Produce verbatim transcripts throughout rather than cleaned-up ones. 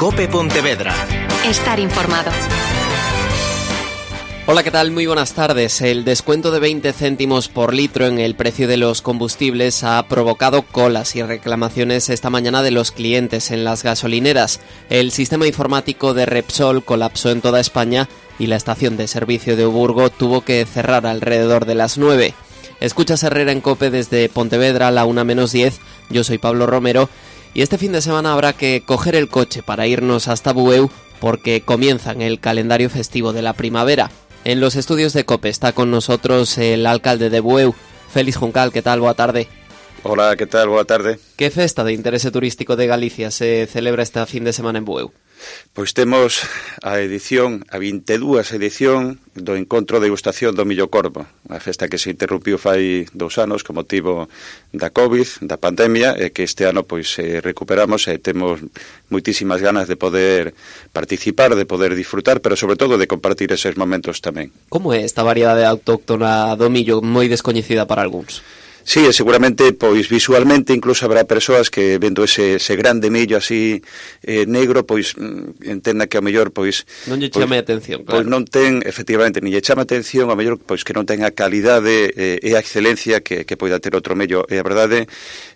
COPE Pontevedra. Estar informado. Hola, ¿qué tal? Muy buenas tardes. El descuento de veinte céntimos por litro en el precio de los combustibles ha provocado colas y reclamaciones esta mañana de los clientes en las gasolineras. El sistema informático de Repsol colapsó en toda España y la estación de servicio de Oburgo tuvo que cerrar alrededor de las nueve. Escuchas Herrera en COPE desde Pontevedra a la una menos diez. Yo soy Pablo Romero y este fin de semana habrá que coger el coche para irnos hasta Bueu porque comienzan el calendario festivo de la primavera. En los estudios de COPE está con nosotros el alcalde de Bueu, Félix Juncal. ¿Qué tal? Boa tarde. Hola, ¿qué tal? Boa tarde. Que festa de interese turístico de Galicia se celebra este fin de semana en Bueu? Pois temos a edición, a vinte e dúas edición do Encontro de Degustación do Millo Corvo, unha festa que se interrumpiu fai dous anos con motivo da COVID, da pandemia, e que este ano pois eh, recuperamos e temos moitísimas ganas de poder participar, de poder disfrutar, pero sobre todo de compartir eses momentos tamén. Como é esta variedade autóctona do millo, moi descoñecida para algúns? Sí, seguramente, pois visualmente incluso habrá persoas que vendo ese, ese grande millo así eh, negro, pois entenda que ao mellor pois non lle chame pois, atención, claro. Pois non ten, efectivamente, ni lle chama atención, ao mellor pois que non ten a calidade eh, e a excelencia que, que poida ter outro millo. E a verdade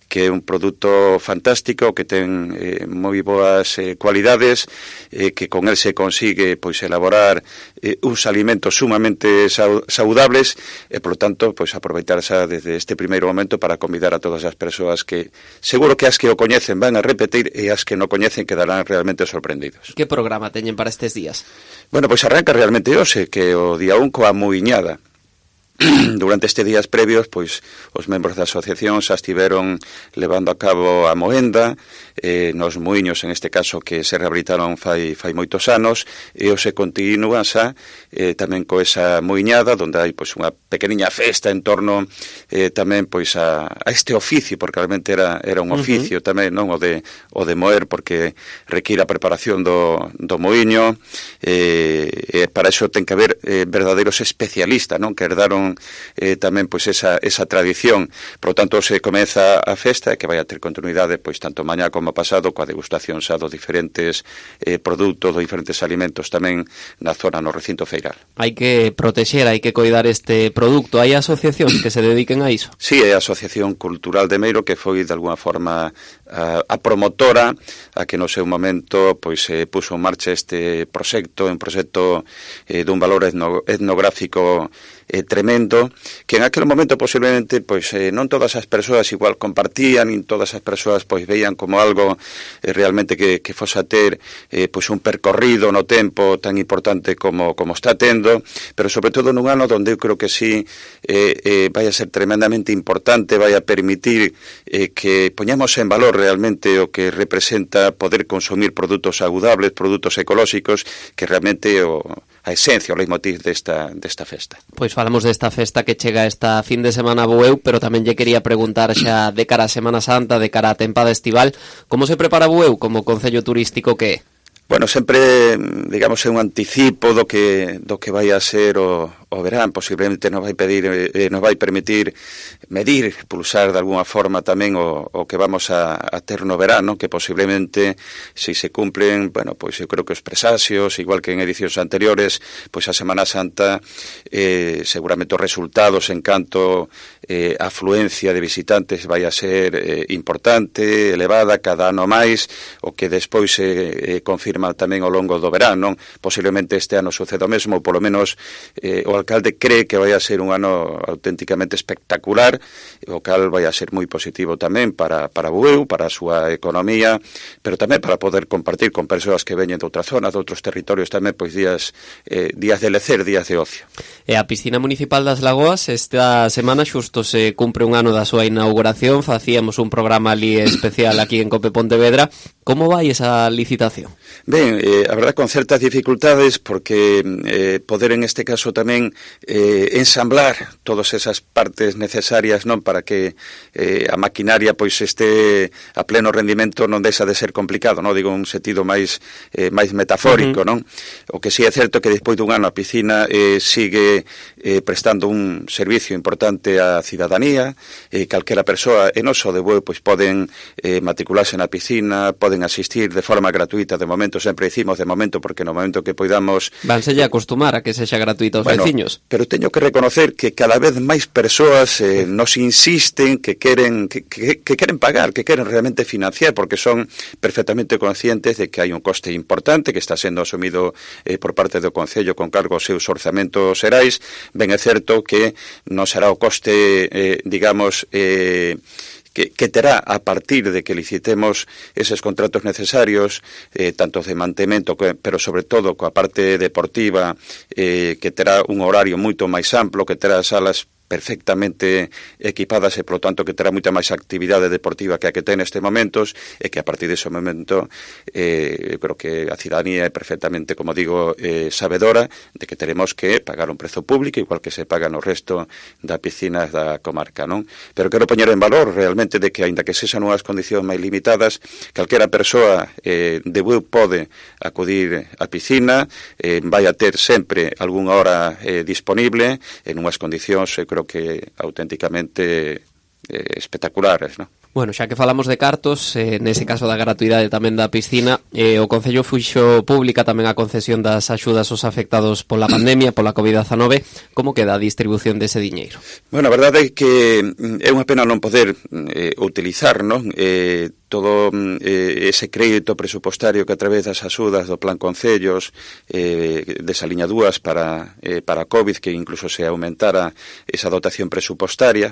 que é un produto fantástico, que ten eh, moi boas eh, cualidades, eh, que con el se consigue pois elaborar eh, uns alimentos sumamente saudables e, polo tanto, pois aproveitarse desde este primeiro momento para convidar a todas as persoas que seguro que as que o coñecen van a repetir e as que non coñecen quedarán realmente sorprendidos. Que programa teñen para estes días? Bueno, pois arranca realmente hoxe, que o día un coa muiñada. Durante estes días previos, pois, os membros da asociación xa estiveron levando a cabo a moenda eh, nos muiños, en este caso, que se rehabilitaron fai, fai moitos anos, e o se continúa xa eh, tamén co esa muiñada, onde hai pois, unha pequeniña festa en torno eh, tamén pois a, a este oficio, porque realmente era, era un oficio uh-huh. tamén, non o de, o de moer, porque require a preparación do, do muiño, eh, e para iso ten que haber eh, verdadeiros especialistas, non, que herdaron Eh, tamén pois esa, esa tradición. Por lo tanto, se comeza a festa que vai a ter continuidade pois tanto mañá como pasado coa degustación xa dos diferentes eh, produtos, dos diferentes alimentos tamén na zona, no recinto feiral. Hai que protexer, hai que coidar este produto. Hai asociacións que se dediquen a iso? Sí, é a Asociación Cultural de Meiro, que foi de alguna forma a, a promotora a que no seu momento pois eh, puso en marcha este proxecto, un proxecto eh, dun valor etno, etnográfico eh, tremendo, que en aquel momento posiblemente pois eh, non todas as persoas igual compartían, e todas as persoas pois veían como algo eh, realmente que, que fose a ter eh, pois un percorrido no tempo tan importante como, como está tendo, pero sobre todo nun ano onde eu creo que sí eh, eh, vai a ser tremendamente importante, vai a permitir eh, que poñamos en valor realmente o que representa poder consumir produtos saudables, produtos ecolóxicos, que realmente o a esencia, o leitmotiv desta, desta festa. Pois falamos desta festa que chega esta fin de semana a Bueu, pero tamén lle quería preguntar xa de cara a Semana Santa, de cara a tempada estival, como se prepara Bueu como concello turístico que é? Bueno, sempre, digamos, é un anticipo do que do que vai a ser o, o verán, posiblemente nos vai pedir eh, nos vai permitir medir, pulsar de alguna forma tamén o, o que vamos a, a ter no verano, que posiblemente se se cumplen, bueno, pois eu creo que os presaxios, igual que en edicións anteriores, pois a Semana Santa eh, seguramente os resultados en canto eh, a afluencia de visitantes vai a ser eh, importante, elevada, cada ano máis, o que despois se eh, confirma tamén ao longo do verán, non? Posiblemente este ano suceda o mesmo, polo menos eh, o alcalde cree que vai a ser un ano auténticamente espectacular, o cal vai a ser moi positivo tamén para, para Bueu, para a súa economía, pero tamén para poder compartir con persoas que veñen de outras zonas, de outros territorios tamén, pois días eh, días de lecer, días de ocio. E a piscina municipal das Lagoas esta semana xusto se cumpre un ano da súa inauguración, facíamos un programa ali especial aquí en COPE Pontevedra. Como vai esa licitación? Ben, eh, a verdad con certas dificultades porque eh, poder en este caso tamén eh, ensamblar todas esas partes necesarias, non, para que eh, a maquinaria pois este a pleno rendimento non deixa de ser complicado, non, digo un sentido máis eh, máis metafórico, uh-huh. non? O que sí é certo que despois dun ano a piscina eh, sigue eh, prestando un servicio importante á cidadanía, eh, calquera persoa, e non só de Bueu, pois poden eh, matricularse na piscina, poden poden asistir de forma gratuita de momento, sempre dicimos de momento, porque no momento que poidamos... Vanse a acostumar a que sexa gratuito aos bueno, veciños. Pero teño que reconocer que cada vez máis persoas eh, nos insisten que queren que, que, que queren pagar, que queren realmente financiar, porque son perfectamente conscientes de que hai un coste importante que está sendo asumido eh, por parte do Concello con cargo aos seus orzamentos xerais. Ben é certo que non será o coste, eh, digamos, eh, que, que terá a partir de que licitemos eses contratos necesarios, eh, tanto de mantemento, que, pero sobre todo coa parte deportiva, eh, que terá un horario moito máis amplo, que terá salas perfectamente equipadas e, polo tanto, que terá moita máis actividade deportiva que a que ten neste momentos, e que a partir dese momento eh, eu creo que a cidadanía é perfectamente, como digo, eh, sabedora de que teremos que pagar un prezo público igual que se paga no resto das piscinas da comarca, non? Pero quero poñer en valor realmente de que, aínda que sexan unhas condicións máis limitadas, calquera persoa eh, de Bueu pode acudir á piscina, eh, vai a ter sempre algunha hora eh, disponible en unhas condicións, eu creo que auténticamente eh, espectaculares, non? Bueno, xa que falamos de cartos, eh, nese caso da gratuidade tamén da piscina, eh, o Concello fixo pública tamén a concesión das axudas aos afectados pola pandemia, pola covid dezanove. Como queda a distribución dese diñeiro? Bueno, a verdade é que é unha pena non poder eh, utilizar, non? Eh, todo eh, ese crédito presupostario que a través das axudas do Plan Concellos eh, desaliña dúas para, eh, para COVID, que incluso se aumentara esa dotación presupostaria,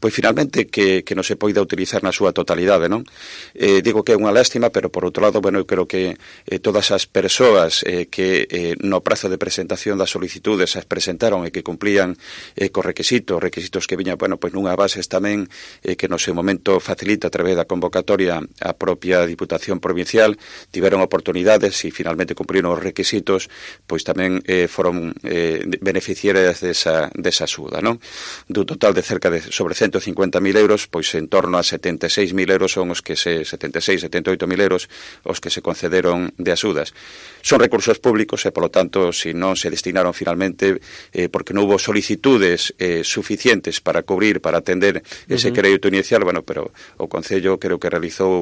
pois finalmente que, que non se poida utilizar na súa totalidade, non? Eh, digo que é unha lástima, pero por outro lado, bueno, eu creo que eh, todas as persoas eh, que eh, no prazo de presentación das solicitudes as presentaron e que cumplían eh, co requisitos, requisitos que viñan, bueno, pois nunha bases tamén eh, que no seu momento facilita a través da convocatoria a propia Diputación Provincial, tiveron oportunidades e finalmente cumpriron os requisitos, pois tamén eh, foron eh, beneficiarias desa, desa axuda, non? Dun total de cerca de sobre ciento cincuenta mil euros, pois en torno a setenta e seis mil euros son os que se, setenta e seis, setenta e oito mil euros os que se concederon de axudas. Son recursos públicos e, polo tanto, se non se destinaron finalmente eh, porque non hubo solicitudes eh, suficientes para cubrir, para atender ese uh -huh. crédito inicial, bueno, pero o Concello creo que realizou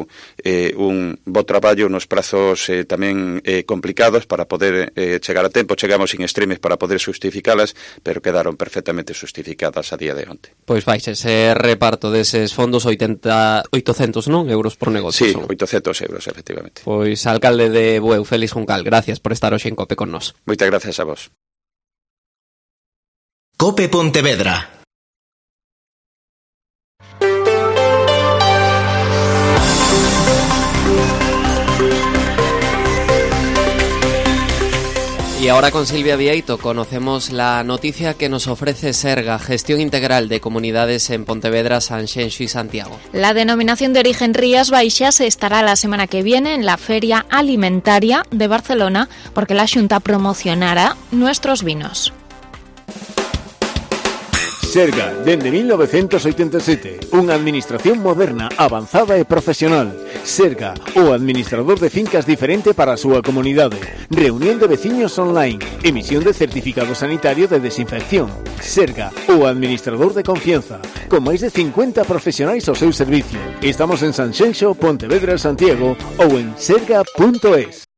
eh, un bo traballo nos prazos eh, tamén eh, complicados para poder eh, chegar a tempo. Chegamos in extremes para poder justificalas, pero quedaron perfectamente justificadas a día de onte. Pois vais ese reparto deses fondos oitenta, oitocentos, non? Euros por negocio. Sí, son. oitocentos euros, efectivamente. Pois alcalde de Bueu, Félix Juncal, gracias por estar hoxe en COPE con nós. Moitas gracias a vos. COPE Pontevedra. Y ahora con Silvia Vieito conocemos la noticia que nos ofrece Serga, Gestión Integral de Comunidades en Pontevedra, Sanxenxo y Santiago. La denominación de origen Rías Baixas estará la semana que viene en la Feria Alimentaria de Barcelona porque la Xunta promocionará nuestros vinos. Serga, dende mil novecientos oitenta e sete, unha administración moderna, avanzada e profesional. Serga, o administrador de fincas diferente para a súa comunidade. Reunión de veciños online, emisión de certificado sanitario de desinfección. Serga, o administrador de confianza, con máis de cincuenta profesionais ao seu servicio. Estamos en Sanxenxo, Pontevedra, Santiago ou en serga punto es.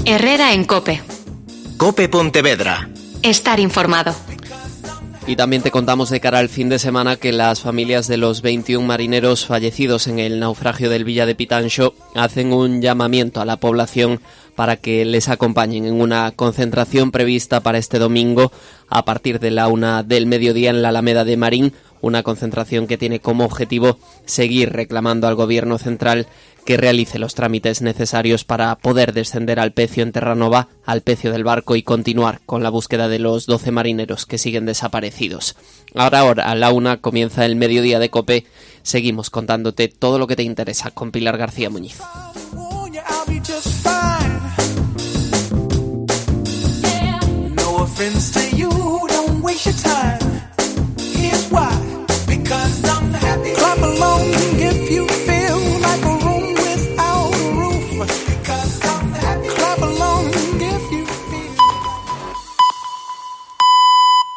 Herrera en COPE. COPE Pontevedra. Estar informado. Y también te contamos de cara al fin de semana que las familias de los veintiún marineros fallecidos en el naufragio del Villa de Pitanxo hacen un llamamiento a la población para que les acompañen en una concentración prevista para este domingo a partir de la una del mediodía en la Alameda de Marín, una concentración que tiene como objetivo seguir reclamando al Gobierno central que realice los trámites necesarios para poder descender al pecio en Terranova, al pecio del barco y continuar con la búsqueda de los doce marineros que siguen desaparecidos. Ahora, ahora a la una comienza el mediodía de COPE. Seguimos contándote todo lo que te interesa con Pilar García Muñiz.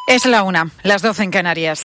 Es la una, las doce en Canarias.